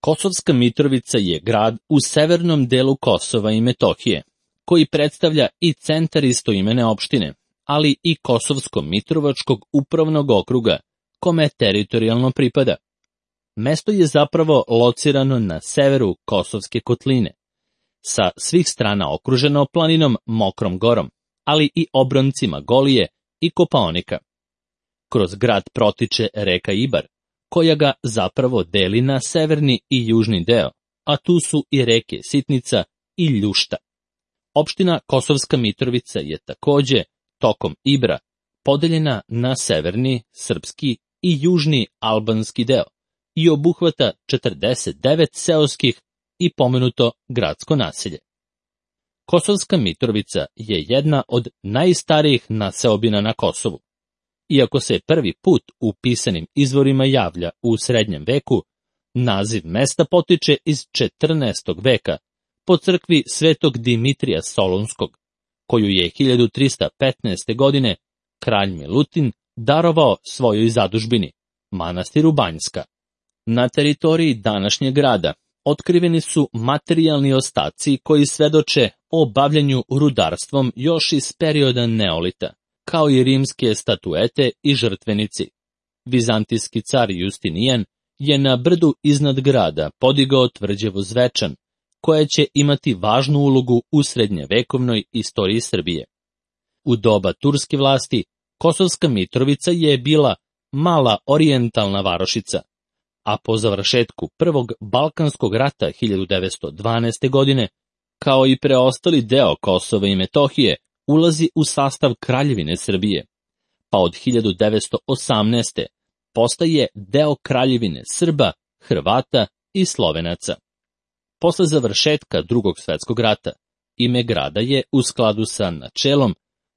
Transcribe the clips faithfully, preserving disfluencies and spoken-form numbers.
Kosovska Mitrovica je grad u severnom delu Kosova i Metohije, koji predstavlja i centar istoimene opštine, ali i Kosovsko-Mitrovačkog upravnog okruga, kome teritorijalno pripada. Mesto je zapravo locirano na severu Kosovske kotline, sa svih strana okruženo planinom Mokrom gorom, ali i obroncima Golije i Kopaonika. Kroz grad protiče reka Ibar, koja ga zapravo deli na severni i južni deo, a tu su i reke Sitnica i Ljušta. Opština Kosovska Mitrovica je takođe tokom Ibra podeljena na severni, srpski i južni albanski deo i obuhvata četrdeset devet seoskih i pomenuto gradsko naselje. Kosovska Mitrovica je jedna od najstarijih naseobina na Kosovu. Iako se prvi put u pisanim izvorima javlja u srednjem veku, naziv mesta potiče iz četrnaestog veka po crkvi svetog Dimitrija Solunskog, koju je hiljadu trista petnaeste. godine kralj Milutin darovao svojoj zadužbini, manastiru Banjska. Na teritoriji današnjeg grada otkriveni su materijalni ostaci koji svedoče o bavljenju rudarstvom još iz perioda Neolita, kao i rimske statuete i žrtvenici. Vizantijski car Justinijan je na brdu iznad grada podigao tvrđavu Zvečan, koja će imati važnu ulogu u srednjevekovnoj istoriji Srbije. U doba turske vlasti, Kosovska Mitrovica je bila mala orijentalna varošica, a po završetku Prvog Balkanskog rata hiljadu devetsto dvanaeste. godine, kao i preostali deo Kosova i Metohije, ulazi u sastav Kraljevine Srbije, pa od hiljadu devetsto osamnaeste. postaje deo Kraljevine Srba, Hrvata i Slovenaca. Posle završetka Drugog svetskog rata, ime grada je u skladu sa načelom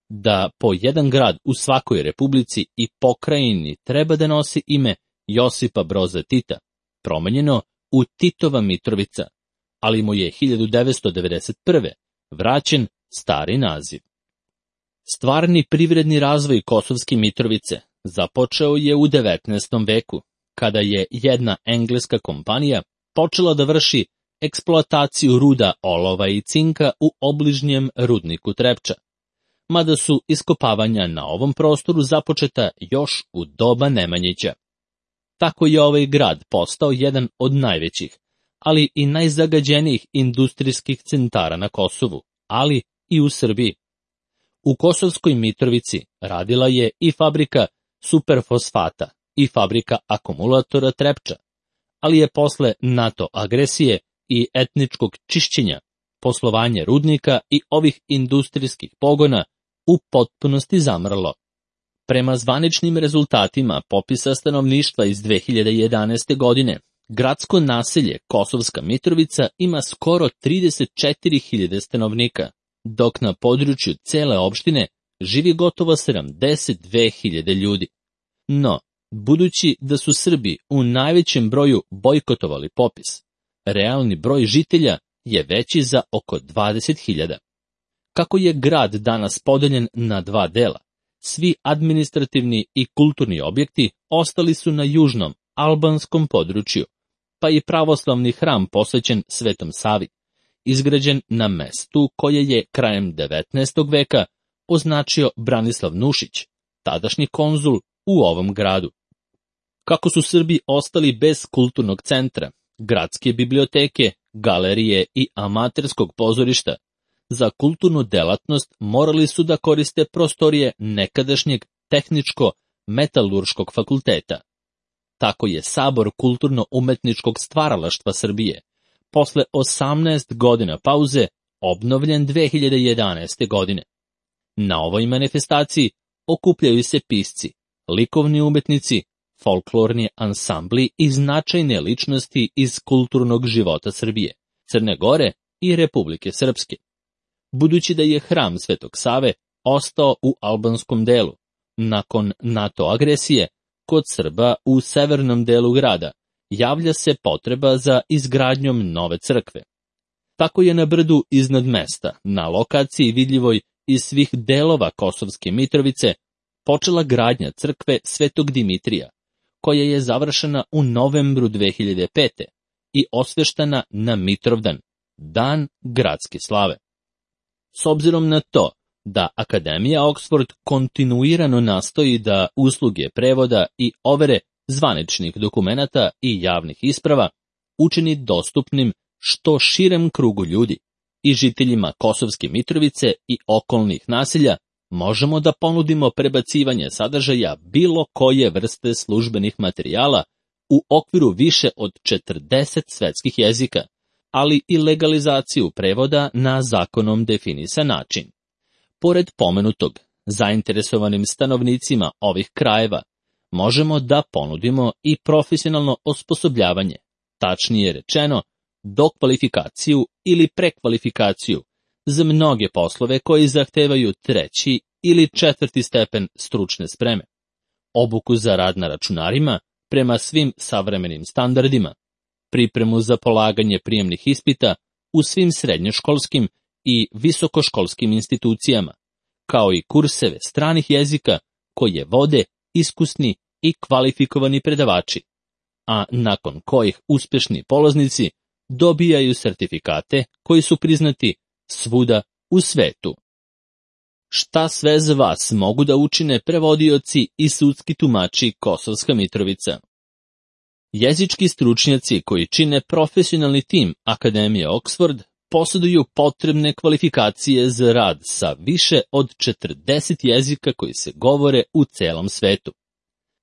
da po jedan grad u svakoj republici i pokrajini treba da nosi ime Josipa Broza Tita, promenjeno u Titova Mitrovica, ali mu je hiljadu devetsto devedeset prve. vraćen stari naziv. Stvarni privredni razvoj Kosovske Mitrovice započeo je u devetnaestom. veku, kada je jedna engleska kompanija počela da vrši eksploataciju ruda olova i cinka u obližnjem rudniku Trepča, mada su iskopavanja na ovom prostoru započeta još u doba Nemanjića. Tako je ovaj grad postao jedan od najvećih, ali i najzagađenijih industrijskih centara na Kosovu, ali i u Srbiji. U Kosovskoj Mitrovici radila je i fabrika superfosfata i fabrika akumulatora Trepča, ali je posle NATO agresije i etničkog čišćenja poslovanje rudnika i ovih industrijskih pogona u potpunosti zamrlo. Prema zvaničnim rezultatima popisa stanovništva iz dve hiljade jedanaeste. godine, gradsko naselje Kosovska Mitrovica ima skoro trideset četiri hiljade stanovnika, dok na području cele opštine živi gotovo sedamdeset dve hiljade ljudi. No, budući da su Srbi u najvećem broju bojkotovali popis, realni broj žitelja je veći za oko dvadeset hiljada. Kako je grad danas podeljen na dva dela, svi administrativni i kulturni objekti ostali su na južnom, albanskom području, pa i pravoslavni hram posvećen Svetom Savi, izgrađen na mestu koje je krajem devetnaestog. veka označio Branislav Nušić, tadašnji konzul u ovom gradu. Kako su Srbi ostali bez kulturnog centra, gradske biblioteke, galerije i amaterskog pozorišta, za kulturnu delatnost morali su da koriste prostorije nekadašnjeg tehničko-metalurškog fakulteta. Tako je Sabor kulturno-umetničkog stvaralaštva Srbije posle osamnaest godina pauze obnovljen dve hiljade jedanaeste. godine. Na ovoj manifestaciji okupljaju se pisci, likovni umetnici, folklorni ansambli i značajne ličnosti iz kulturnog života Srbije, Crne Gore i Republike Srpske. Budući da je hram Svetog Save ostao u albanskom delu, nakon NATO agresije, kod Srba u severnom delu grada javlja se potreba za izgradnjom nove crkve. Tako je na brdu iznad mesta, na lokaciji vidljivoj iz svih delova Kosovske Mitrovice, počela gradnja crkve Svetog Dimitrija, koja je završena u novembru dve hiljade pete. i osveštana na Mitrovdan, dan gradske slave. S obzirom na to da Akademija Oxford kontinuirano nastoji da usluge prevoda i overe zvaničnih dokumenata i javnih isprava učini dostupnim što širem krugu ljudi i žiteljima Kosovske Mitrovice i okolnih naselja, možemo da ponudimo prebacivanje sadržaja bilo koje vrste službenih materijala u okviru više od četrdeset svetskih jezika, ali i legalizaciju prevoda na zakonom definisan način. Pored pomenutog, zainteresovanim stanovnicima ovih krajeva možemo da ponudimo i profesionalno osposobljavanje, tačnije rečeno, dokvalifikaciju ili prekvalifikaciju za mnoge poslove koji zahtevaju treći ili četvrti stepen stručne spreme, obuku za rad na računarima prema svim savremenim standardima, pripremu za polaganje prijemnih ispita u svim srednjoškolskim i visokoškolskim institucijama, kao i kurseve stranih jezika koje vode iskusni i kvalifikovani predavači, a nakon kojih uspešni polaznici dobijaju sertifikate koji su priznati svuda u svetu. Šta sve za vas mogu da učine prevodioci i sudski tumači Kosovska Mitrovica? Jezički stručnjaci koji čine profesionalni tim Akademije Oxford posjeduju potrebne kvalifikacije za rad sa više od četrdeset jezika koji se govore u celom svetu.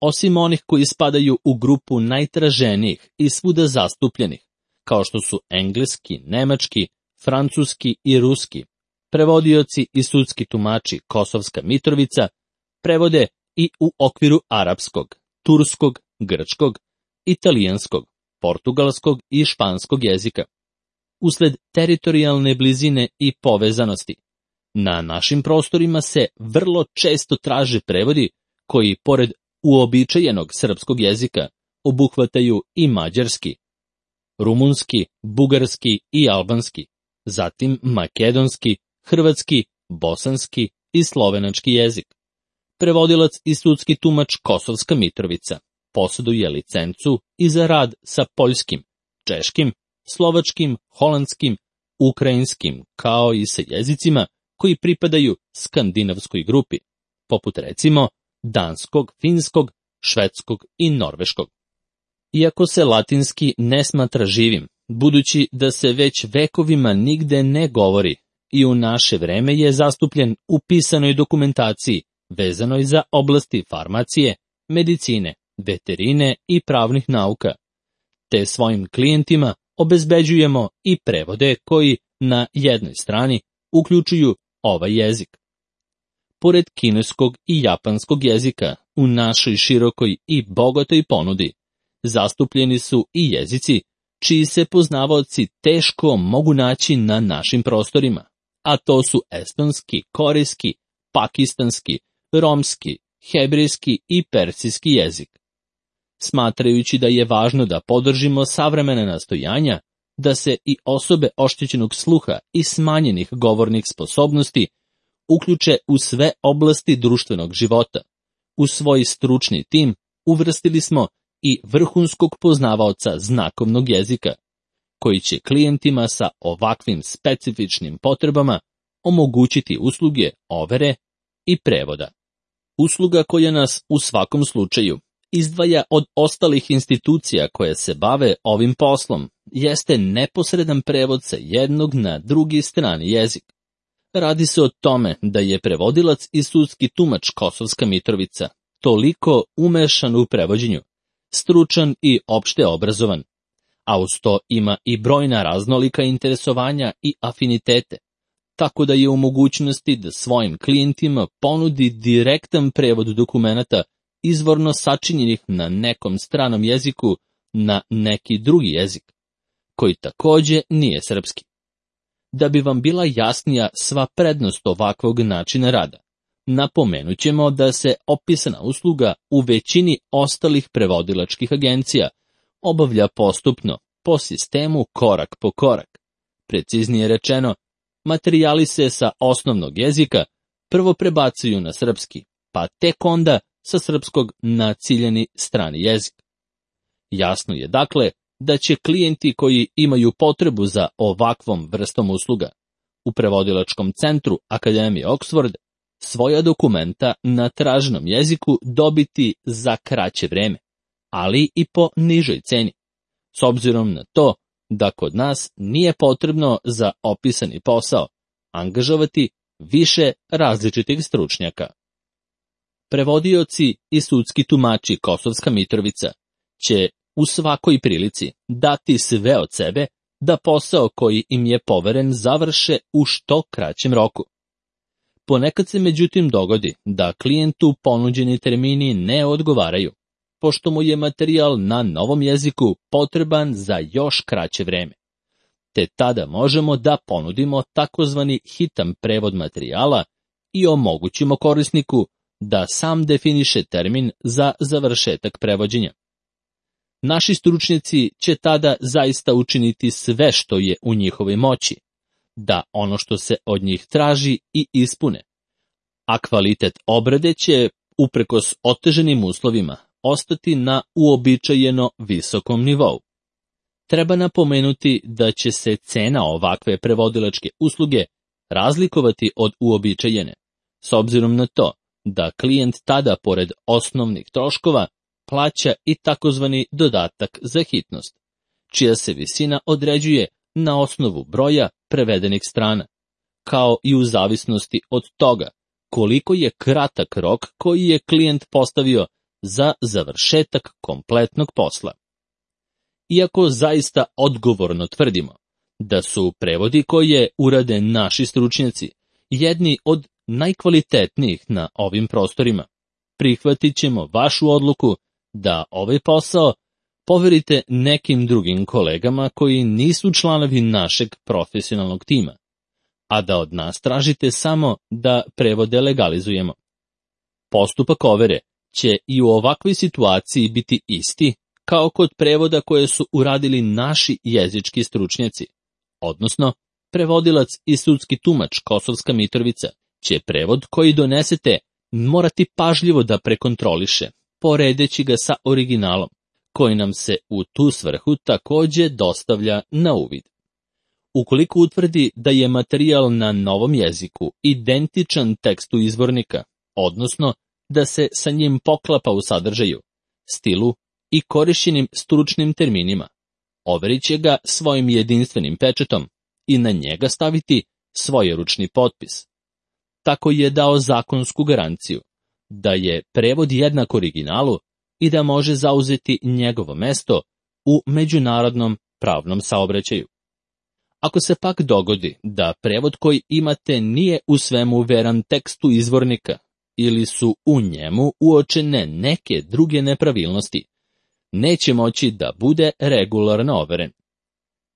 Osim onih koji spadaju u grupu najtraženijih i svuda zastupljenih, kao što su engleski, nemački, francuski i ruski, prevodioci i sudski tumači Kosovska Mitrovica prevode i u okviru arapskog, turskog, grčkog, italijanskog, portugalskog i španskog jezika. Usled teritorijalne blizine i povezanosti, na našim prostorima se vrlo često traže prevodi koji, pored uobičajenog srpskog jezika, obuhvataju i mađarski, rumunski, bugarski i albanski, zatim makedonski, hrvatski, bosanski i slovenački jezik. Prevodilac i sudski tumač Kosovska Mitrovica posjeduje licencu i za rad sa poljskim, češkim, slovačkim, holandskim, ukrajinskim, kao i sa jezicima koji pripadaju skandinavskoj grupi, poput recimo danskog, finskog, švedskog i norveškog. Iako se latinski ne smatra živim, budući da se već vekovima nigde ne govori i u naše vreme je zastupljen u pisanoj dokumentaciji vezanoj za oblasti farmacije, medicine, veterine i pravnih nauka, te svojim klijentima obezbeđujemo i prevode koji na jednoj strani uključuju ovaj jezik. Pored kineskog i japanskog jezika u našoj širokoj i bogatoj ponudi zastupljeni su i jezici čiji se poznavaoci teško mogu naći na našim prostorima, a to su estonski, korejski, pakistanski, romski, hebrejski i persijski jezik. Smatrajući da je važno da podržimo savremena nastojanja, da se i osobe oštećenog sluha i smanjenih govornih sposobnosti uključe u sve oblasti društvenog života, u svoj stručni tim uvrstili smo i vrhunskog poznavaoca znakovnog jezika, koji će klijentima sa ovakvim specifičnim potrebama omogućiti usluge overe i prevoda. Usluga koja nas u svakom slučaju izdvaja od ostalih institucija koje se bave ovim poslom jeste neposredan prevod sa jednog na drugi strani jezik. Radi se o tome da je prevodilac i sudski tumač Kosovska Mitrovica toliko umešan u prevođenju, stručan i opšte obrazovan, a uz to ima i brojna raznolika interesovanja i afinitete, tako da je u mogućnosti da svojim klijentima ponudi direktan prevod dokumenata izvorno sačinjenih na nekom stranom jeziku na neki drugi jezik, koji takođe nije srpski. Da bi vam bila jasnija sva prednost ovakvog načina rada, napomenut ćemo da se opisana usluga u većini ostalih prevodilačkih agencija obavlja postupno, po sistemu korak po korak. Preciznije rečeno, materijali se sa osnovnog jezika prvo prebacuju na srpski, pa tek onda sa srpskog na ciljani strani jezik. Jasno je dakle da će klijenti koji imaju potrebu za ovakvom vrstom usluga u prevodilačkom centru Akademije Oxford svoja dokumenta na traženom jeziku dobiti za kraće vreme, ali i po nižoj ceni, s obzirom na to da kod nas nije potrebno za opisani posao angažovati više različitih stručnjaka. Prevodioci i sudski tumači Kosovska Mitrovica će u svakoj prilici dati sve od sebe da posao koji im je poveren završe u što kraćem roku. Ponekad se međutim dogodi da klijentu ponuđeni termini ne odgovaraju, pošto mu je materijal na novom jeziku potreban za još kraće vreme. Te tada možemo da ponudimo takozvani hitan prevod materijala i omogućimo korisniku da sam definiše termin za završetak prevođenja. Naši stručnjaci će tada zaista učiniti sve što je u njihovoj moći, da ono što se od njih traži i ispune, a kvalitet obrade će, uprkos oteženim uslovima, ostati na uobičajeno visokom nivou. Treba napomenuti da će se cena ovakve prevodilačke usluge razlikovati od uobičajene, s obzirom na to da klijent tada, pored osnovnih troškova, plaća i takozvani dodatak za hitnost, čija se visina određuje na osnovu broja prevedenih strana, kao i u zavisnosti od toga koliko je kratak rok koji je klijent postavio za završetak kompletnog posla. Iako zaista odgovorno tvrdimo da su prevodi koje urade naši stručnjaci jedni od najkvalitetnijih na ovim prostorima, prihvatit ćemo vašu odluku da ovaj posao poverite nekim drugim kolegama koji nisu članovi našeg profesionalnog tima, a da od nas tražite samo da prevode legalizujemo. Postupak overe će i u ovakvoj situaciji biti isti kao kod prevoda koje su uradili naši jezički stručnjaci, odnosno prevodilac i sudski tumač Kosovska Mitrovica će prevod koji donesete morati pažljivo da prekontroliše, poredeći ga sa originalom, koji nam se u tu svrhu takođe dostavlja na uvid. Ukoliko utvrdi da je materijal na novom jeziku identičan tekstu izvornika, odnosno da se sa njim poklapa u sadržaju, stilu i korišćenim stručnim terminima, overit će ga svojim jedinstvenim pečetom i na njega staviti svoj ručni potpis. Tako je dao zakonsku garanciju da je prevod jednak originalu i da može zauzeti njegovo mesto u međunarodnom pravnom saobraćaju. Ako se pak dogodi da prevod koji imate nije u svemu veran tekstu izvornika ili su u njemu uočene neke druge nepravilnosti, neće moći da bude regularno overen.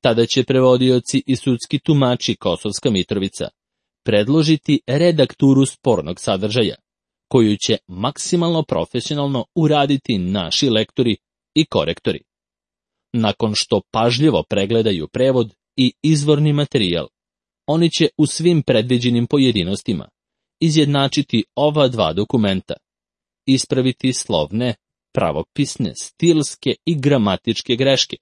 Tada će prevodioci i sudski tumači Kosovska Mitrovica predložiti redakturu spornog sadržaja, koju će maksimalno profesionalno uraditi naši lektori i korektori. Nakon što pažljivo pregledaju prevod i izvorni materijal, oni će u svim predviđenim pojedinostima izjednačiti ova dva dokumenta, ispraviti slovne, pravopisne, stilske i gramatičke greške,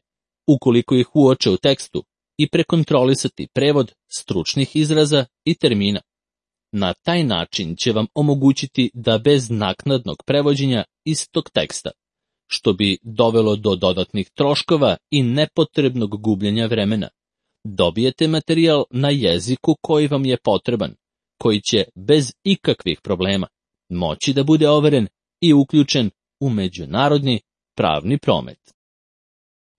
ukoliko ih uoče u tekstu, i prekontrolisati prevod stručnih izraza i termina. Na taj način će vam omogućiti da bez naknadnog prevođenja istog teksta, što bi dovelo do dodatnih troškova i nepotrebnog gubljenja vremena, dobijete materijal na jeziku koji vam je potreban, koji će bez ikakvih problema moći da bude overen i uključen u međunarodni pravni promet.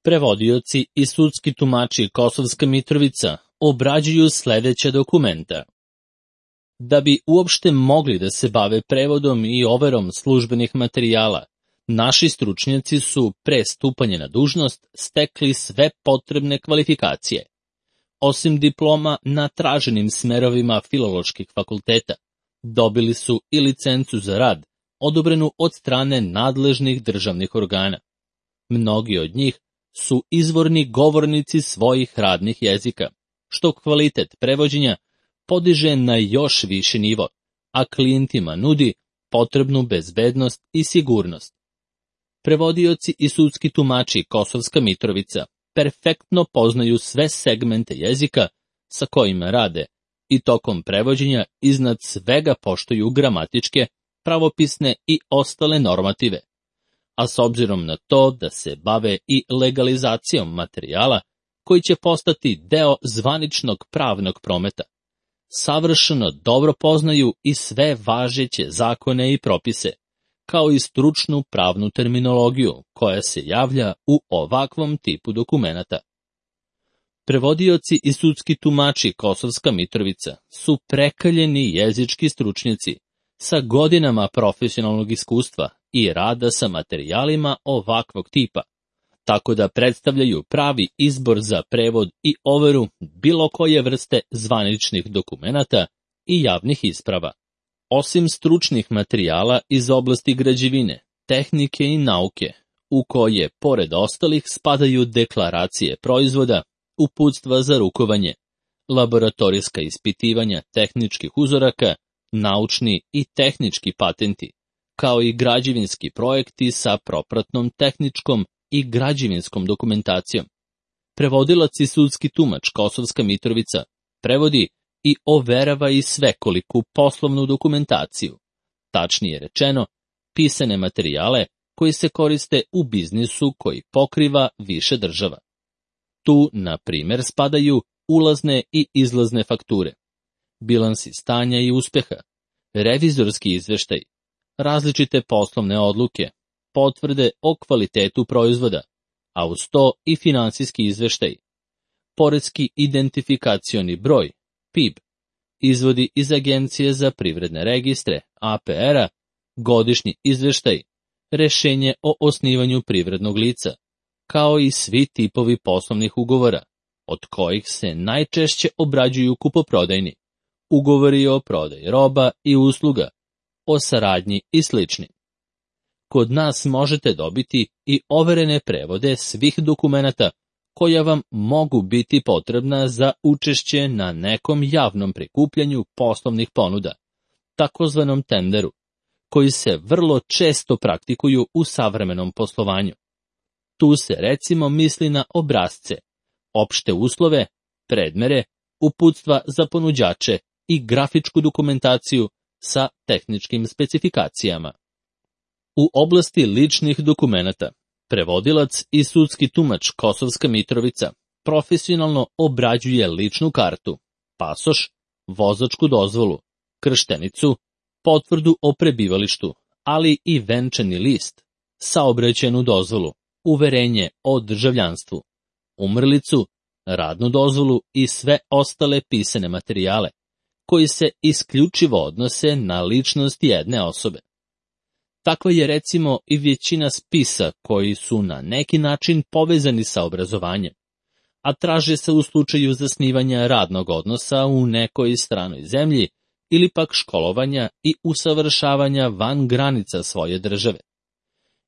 Prevodioci i sudski tumači Kosovska Mitrovica obrađuju sledeća dokumenta. Da bi uopšte mogli da se bave prevodom i overom službenih materijala, naši stručnjaci su pre stupanja na dužnost stekli sve potrebne kvalifikacije. Osim diploma na traženim smerovima filoloških fakulteta, dobili su i licencu za rad, odobrenu od strane nadležnih državnih organa. Mnogi od njih su izvorni govornici svojih radnih jezika, što kvalitet prevođenja podiže na još viši nivo, a klijentima nudi potrebnu bezbednost i sigurnost. Prevodioci i sudski tumači Kosovska Mitrovica perfektno poznaju sve segmente jezika sa kojima rade i tokom prevođenja iznad svega poštuju gramatičke, pravopisne i ostale normative. A s obzirom na to da se bave i legalizacijom materijala koji će postati deo zvaničnog pravnog prometa, savršeno dobro poznaju i sve važeće zakone i propise, kao i stručnu pravnu terminologiju koja se javlja u ovakvom tipu dokumenata. Prevodioci i sudski tumači Kosovska Mitrovica su prekaljeni jezički stručnjaci sa godinama profesionalnog iskustva i rada sa materijalima ovakvog tipa, tako da predstavljaju pravi izbor za prevod i overu bilo koje vrste zvaničnih dokumenata i javnih isprava. Osim stručnih materijala iz oblasti građevine, tehnike i nauke, u koje, pored ostalih, spadaju deklaracije proizvoda, uputstva za rukovanje, laboratorijska ispitivanja tehničkih uzoraka, naučni i tehnički patenti, kao i građevinski projekti sa propratnom tehničkom i građevinskom dokumentacijom. Prevodilac i sudski tumač Kosovska Mitrovica prevodi i overava i svekoliku poslovnu dokumentaciju, tačnije rečeno, pisane materijale koji se koriste u biznisu koji pokriva više država. Tu, na primjer, spadaju ulazne i izlazne fakture, bilansi stanja i uspeha, revizorski izveštaj, različite poslovne odluke, potvrde o kvalitetu proizvoda, a uz to i finansijski izveštaj, poreski identifikacioni broj, P I B, izvodi iz Agencije za privredne registre, A P R-a, godišnji izveštaj, rešenje o osnivanju privrednog lica, kao i svi tipovi poslovnih ugovora, od kojih se najčešće obrađuju kupoprodajni, ugovori o prodaji roba i usluga, o saradnji i slični. Kod nas možete dobiti i overene prevode svih dokumenata koja vam mogu biti potrebna za učešće na nekom javnom prikupljanju poslovnih ponuda, takozvanom tenderu, koji se vrlo često praktikuju u savremenom poslovanju. Tu se recimo misli na obrasce, opšte uslove, predmere, uputstva za ponuđače i grafičku dokumentaciju sa tehničkim specifikacijama. U oblasti ličnih dokumenata, prevodilac i sudski tumač Kosovska Mitrovica profesionalno obrađuje ličnu kartu, pasoš, vozačku dozvolu, krštenicu, potvrdu o prebivalištu, ali i venčani list, saobraćajnu dozvolu, uverenje o državljanstvu, umrlicu, radnu dozvolu i sve ostale pisane materijale, koji se isključivo odnose na ličnost jedne osobe. Takva je recimo i većina spisa koji su na neki način povezani sa obrazovanjem, a traže se u slučaju zasnivanja radnog odnosa u nekoj stranoj zemlji ili pak školovanja i usavršavanja van granica svoje države.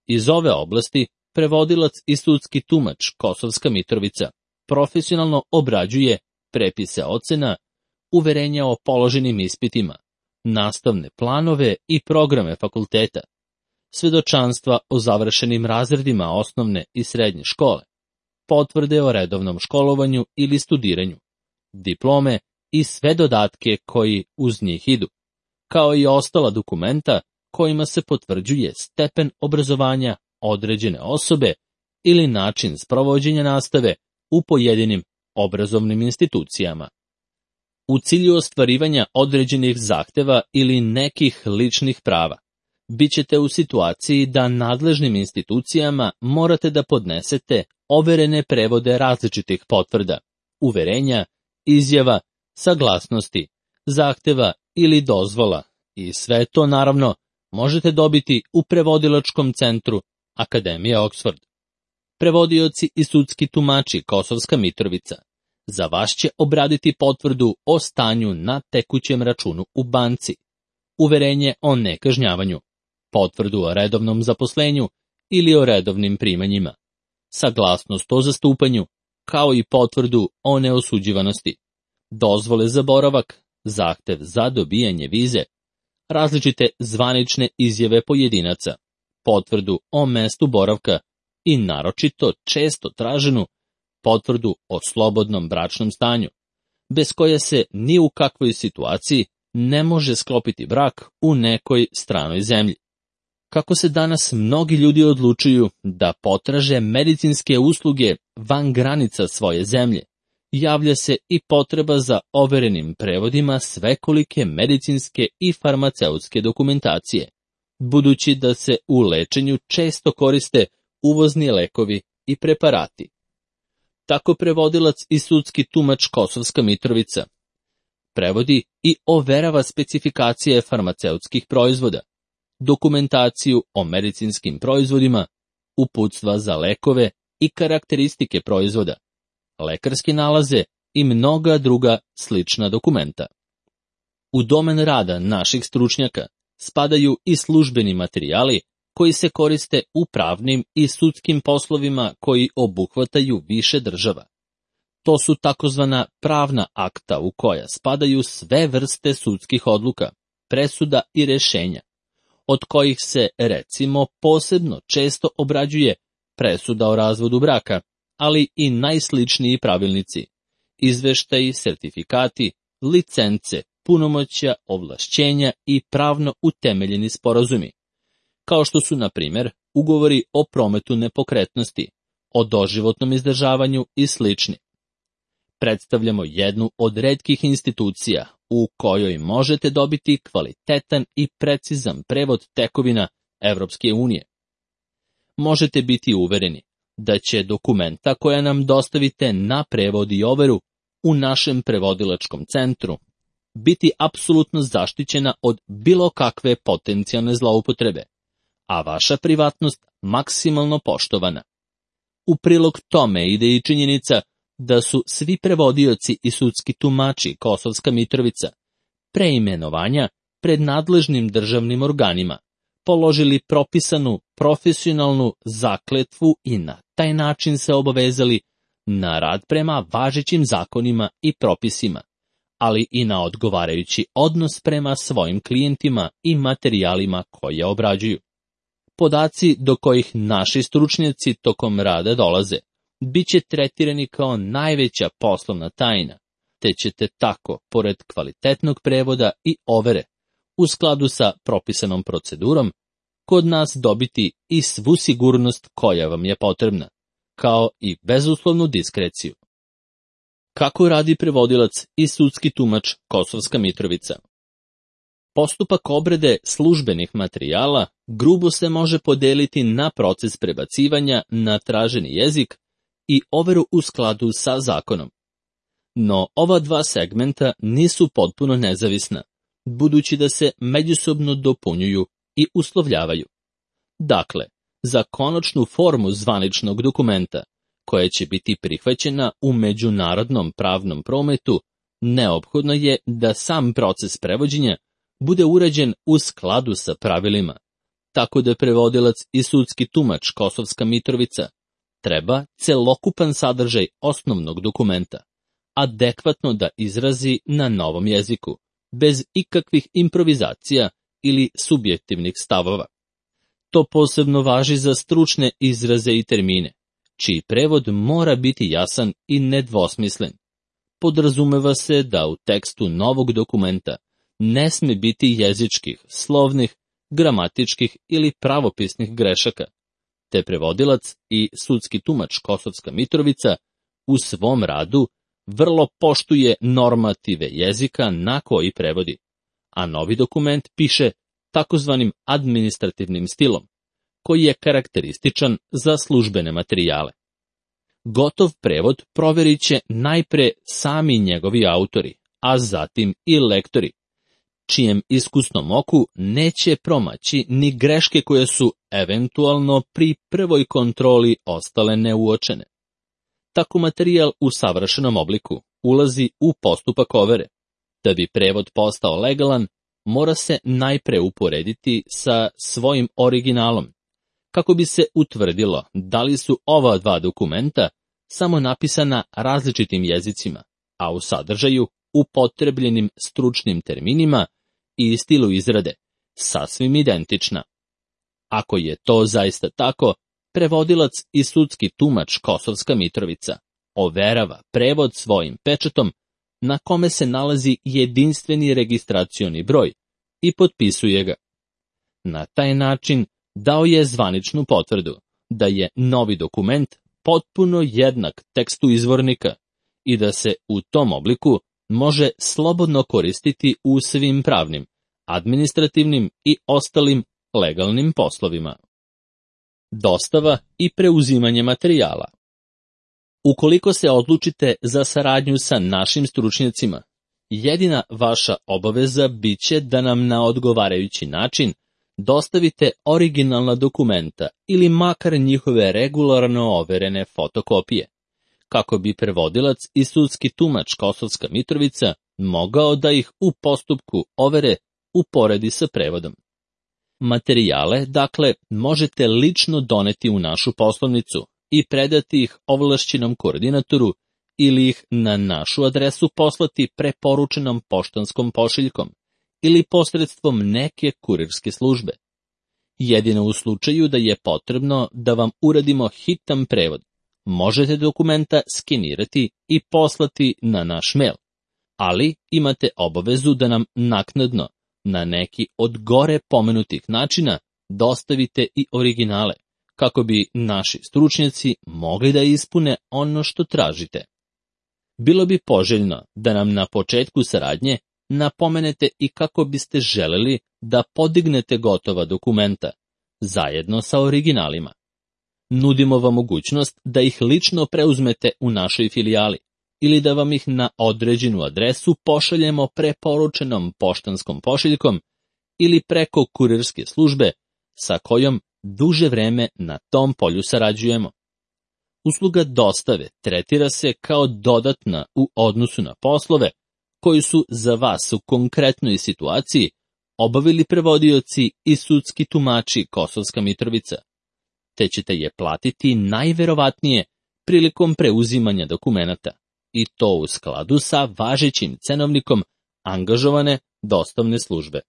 Iz ove oblasti prevodilac i sudski tumač Kosovska Mitrovica profesionalno obrađuje prepise ocena, uverenja o položenim ispitima, nastavne planove i programe fakulteta, svedočanstva o završenim razredima osnovne i srednje škole, potvrde o redovnom školovanju ili studiranju, diplome i sve dodatke koji uz njih idu, kao i ostala dokumenta kojima se potvrđuje stepen obrazovanja određene osobe ili način sprovođenja nastave u pojedinim obrazovnim institucijama. U cilju ostvarivanja određenih zahteva ili nekih ličnih prava, bit ćete u situaciji da nadležnim institucijama morate da podnesete overene prevode različitih potvrda, uverenja, izjava, saglasnosti, zahteva ili dozvola i sve to naravno možete dobiti u prevodilačkom centru Akademije Oxford. Prevodioci i sudski tumači Kosovska Mitrovica za vas će obraditi potvrdu o stanju na tekućem računu u banci, uverenje o nekažnjavanju, potvrdu o redovnom zaposlenju ili o redovnim primanjima, saglasnost o zastupanju, kao i potvrdu o neosuđivanosti, dozvole za boravak, zahtev za dobijanje vize, različite zvanične izjave pojedinaca, potvrdu o mestu boravka i naročito često traženu potvrdu o slobodnom bračnom stanju, bez koje se ni u kakvoj situaciji ne može sklopiti brak u nekoj stranoj zemlji. Kako se danas mnogi ljudi odlučuju da potraže medicinske usluge van granica svoje zemlje, javlja se i potreba za overenim prevodima svekolike medicinske i farmaceutske dokumentacije, budući da se u lečenju često koriste uvozni lekovi i preparati. Tako prevodilac i sudski tumač Kosovska Mitrovica prevodi i overava specifikacije farmaceutskih proizvoda, dokumentaciju o medicinskim proizvodima, uputstva za lekove i karakteristike proizvoda, lekarske nalaze i mnoga druga slična dokumenta. U domen rada naših stručnjaka spadaju i službeni materijali koji se koriste u pravnim i sudskim poslovima koji obuhvataju više država. To su takozvana pravna akta u koja spadaju sve vrste sudskih odluka, presuda i rešenja, od kojih se, recimo, posebno često obrađuje presuda o razvodu braka, ali i najsličniji pravilnici, izveštaji, sertifikati, licence, punomoćja, ovlašćenja i pravno utemeljeni sporazumi, kao što su, na primjer, ugovori o prometu nepokretnosti, o doživotnom izdržavanju i slični. Predstavljamo jednu od retkih institucija u kojoj možete dobiti kvalitetan i precizan prevod tekovina Evropske unije. Možete biti uvereni da će dokumenta koja nam dostavite na prevod i overu u našem prevodilačkom centru biti apsolutno zaštićena od bilo kakve potencijalne zloupotrebe, a vaša privatnost maksimalno poštovana. U prilog tome ide i činjenica da su svi prevodioci i sudski tumači Kosovska Mitrovica pre imenovanja pred nadležnim državnim organima položili propisanu profesionalnu zakletvu i na taj način se obavezali na rad prema važećim zakonima i propisima, ali i na odgovarajući odnos prema svojim klijentima i materijalima koje obrađuju. Podaci do kojih naši stručnjaci tokom rada dolaze bit će tretirani kao najveća poslovna tajna, te ćete tako, pored kvalitetnog prevoda i overe, u skladu sa propisanom procedurom, kod nas dobiti i svu sigurnost koja vam je potrebna, kao i bezuslovnu diskreciju. Kako radi prevodilac i sudski tumač Kosovska Mitrovica? Postupak obrade službenih materijala grubo se može podeliti na proces prebacivanja na traženi jezik i overu u skladu sa zakonom. No ova dva segmenta nisu potpuno nezavisna, budući da se međusobno dopunjuju i uslovljavaju. Dakle, za konačnu formu zvaničnog dokumenta, koja će biti prihvaćena u međunarodnom pravnom prometu, neophodno je da sam proces prevođenja bude urađen u skladu sa pravilima, tako da prevodilac i sudski tumač Kosovska Mitrovica treba celokupan sadržaj osnovnog dokumenta adekvatno da izrazi na novom jeziku, bez ikakvih improvizacija ili subjektivnih stavova. To posebno važi za stručne izraze i termine, čiji prevod mora biti jasan i nedvosmislen. Podrazumeva se da u tekstu novog dokumenta ne sme biti jezičkih, slovnih, gramatičkih ili pravopisnih grešaka, te prevodilac i sudski tumač Kosovska Mitrovica u svom radu vrlo poštuje normative jezika na koji prevodi, a novi dokument piše takozvanim administrativnim stilom, koji je karakterističan za službene materijale. Gotov prevod proverit će najpre sami njegovi autori, a zatim i lektori, čijem iskusnom oku neće promaći ni greške koje su eventualno pri prvoj kontroli ostale neuočene. Tako materijal u savršenom obliku ulazi u postupak overe. Da bi prevod postao legalan, mora se najpre uporediti sa svojim originalom, kako bi se utvrdilo da li su ova dva dokumenta samo napisana različitim jezicima, a u sadržaju upotrebljenim stručnim terminima i stilu izrade sasvim identična. Ako je to zaista tako, prevodilac i sudski tumač Kosovska Mitrovica overava prevod svojim pečatom na kome se nalazi jedinstveni registracioni broj i potpisuje ga. Na taj način dao je zvaničnu potvrdu da je novi dokument potpuno jednak tekstu izvornika i da se u tom obliku može slobodno koristiti u svim pravnim, administrativnim i ostalim legalnim poslovima. Dostava i preuzimanje materijala. Ukoliko se odlučite za saradnju sa našim stručnjacima, jedina vaša obaveza biće da nam na odgovarajući način dostavite originalna dokumenta ili makar njihove regularno overene fotokopije, kako bi prevodilac i sudski tumač Kosovska Mitrovica mogao da ih u postupku overe uporedi sa prevodom. Materijale, dakle, možete lično doneti u našu poslovnicu i predati ih ovlašćenom koordinatoru ili ih na našu adresu poslati preporučenom poštanskom pošiljkom ili posredstvom neke kurirske službe. Jedino u slučaju da je potrebno da vam uradimo hitan prevod, možete dokumenta skenirati i poslati na naš mail, ali imate obavezu da nam naknadno, na neki od gore pomenutih načina, dostavite i originale, kako bi naši stručnjaci mogli da ispune ono što tražite. Bilo bi poželjno da nam na početku saradnje napomenete i kako biste želeli da podignete gotova dokumenta, zajedno sa originalima. Nudimo vam mogućnost da ih lično preuzmete u našoj filijali ili da vam ih na određenu adresu pošaljemo preporučenom poštanskom pošiljkom ili preko kurirske službe sa kojom duže vreme na tom polju sarađujemo. Usluga dostave tretira se kao dodatna u odnosu na poslove koji su za vas u konkretnoj situaciji obavili prevodioci i sudski tumači Kosovska Mitrovica, te ćete je platiti najverovatnije prilikom preuzimanja dokumenata, i to u skladu sa važećim cenovnikom angažovane dostavne službe.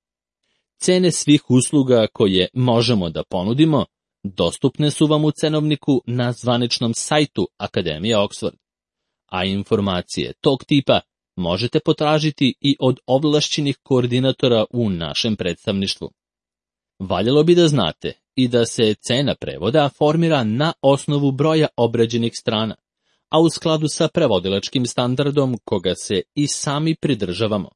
Cene svih usluga koje možemo da ponudimo dostupne su vam u cenovniku na zvaničnom sajtu Akademije Oxford, a informacije tog tipa možete potražiti i od ovlašćenih koordinatora u našem predstavništvu. Valjalo bi da znate i da se cena prevoda formira na osnovu broja obrađenih strana, a u skladu sa prevodilačkim standardom koga se i sami pridržavamo.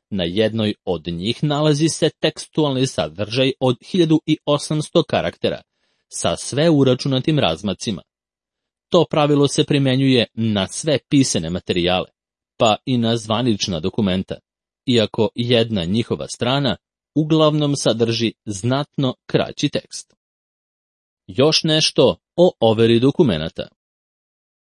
Na jednoj od njih nalazi se tekstualni sadržaj od hiljadu osamsto karaktera sa sve uračunatim razmacima. To pravilo se primenjuje na sve pisane materijale, pa i na zvanična dokumenta, iako jedna njihova strana uglavnom sadrži znatno kraći tekst. Još nešto o overi dokumenata.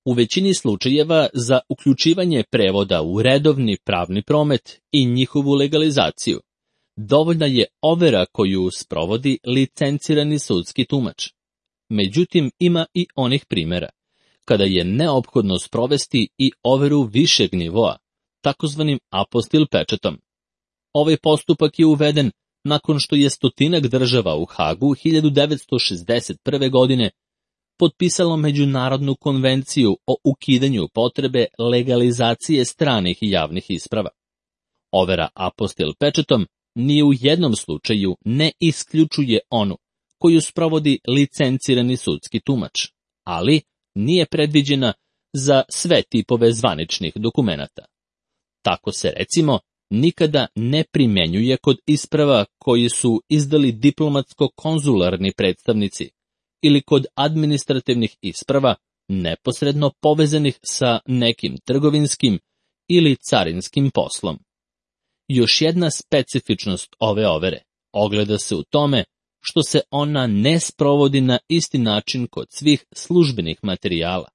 U većini slučajeva za uključivanje prevoda u redovni pravni promet i njihovu legalizaciju dovoljna je overa koju sprovodi licencirani sudski tumač. Međutim, ima i onih primjera kada je neophodno sprovesti i overu višeg nivoa, takozvanim apostil pečatom. Ovaj postupak je uveden nakon što je stotinak država u Hagu hiljadu devetsto šezdeset prve. godine potpisalo Međunarodnu konvenciju o ukidanju potrebe legalizacije stranih i javnih isprava. Overa apostil pečatom ni u jednom slučaju ne isključuje onu koju sprovodi licencirani sudski tumač, ali nije predviđena za sve tipove zvaničnih dokumenata. Tako se, recimo, nikada ne primenjuje kod isprava koji su izdali diplomatsko-konzularni predstavnici ili kod administrativnih isprava neposredno povezanih sa nekim trgovinskim ili carinskim poslom. Još jedna specifičnost ove overe ogleda se u tome što se ona ne sprovodi na isti način kod svih službenih materijala,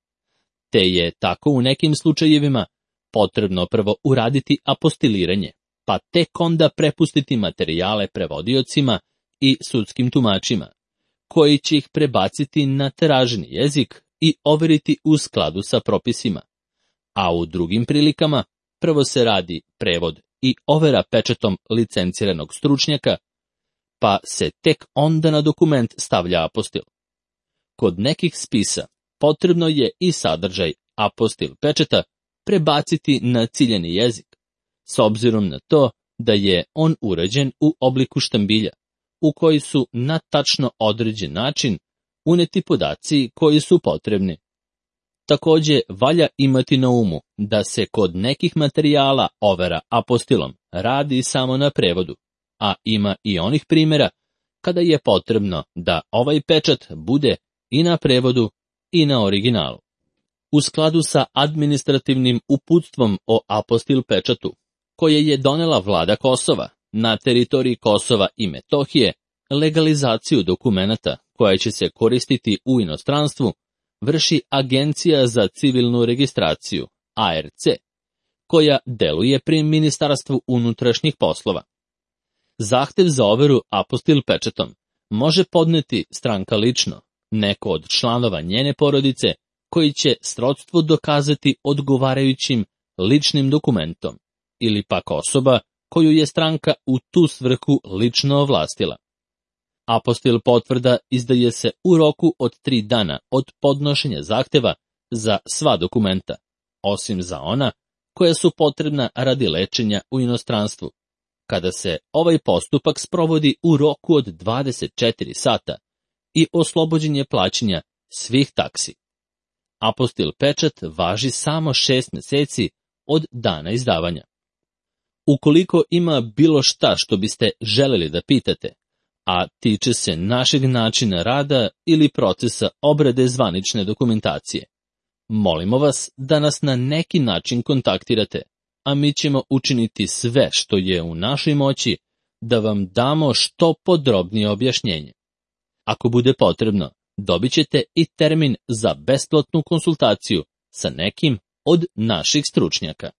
te je tako u nekim slučajevima potrebno prvo uraditi apostiliranje, pa tek onda prepustiti materijale prevodiocima i sudskim tumačima, koji će ih prebaciti na tiražni jezik i overiti u skladu sa propisima, a u drugim prilikama prvo se radi prevod i overa pečatom licenciranog stručnjaka, pa se tek onda na dokument stavlja apostil. Kod nekih spisa potrebno je i sadržaj apostil pečata prebaciti na ciljani jezik, s obzirom na to da je on urađen u obliku štambilja, u koji su na tačno određen način uneti podaci koji su potrebni. Takođe, valja imati na umu da se kod nekih materijala overa apostilom radi samo na prevodu, a ima i onih primjera kada je potrebno da ovaj pečat bude i na prevodu i na originalu. U skladu sa administrativnim uputstvom o apostil pečatu, koje je donela vlada Kosova na teritoriji Kosova i Metohije, legalizaciju dokumenata koja će se koristiti u inostranstvu vrši Agencija za civilnu registraciju, A R C, koja deluje pri Ministarstvu unutrašnjih poslova. Zahtev za overu apostil pečatom može podneti stranka lično, neko od članova njene porodice, koji će srodstvo dokazati odgovarajućim ličnim dokumentom, ili pak osoba koju je stranka u tu svrhu lično ovlastila. Apostil potvrda izdaje se u roku od tri dana od podnošenja zahteva za sva dokumenta, osim za ona koja su potrebna radi lečenja u inostranstvu, kada se ovaj postupak sprovodi u roku od dvadeset četiri sata i oslobođen je plaćanja svih taksi. Apostil pečat važi samo šest meseci od dana izdavanja. Ukoliko ima bilo šta što biste želeli da pitate, a tiče se našeg načina rada ili procesa obrade zvanične dokumentacije, molimo vas da nas na neki način kontaktirate, a mi ćemo učiniti sve što je u našoj moći da vam damo što podrobnije objašnjenje. Ako bude potrebno, dobit ćete i termin za besplatnu konsultaciju sa nekim od naših stručnjaka.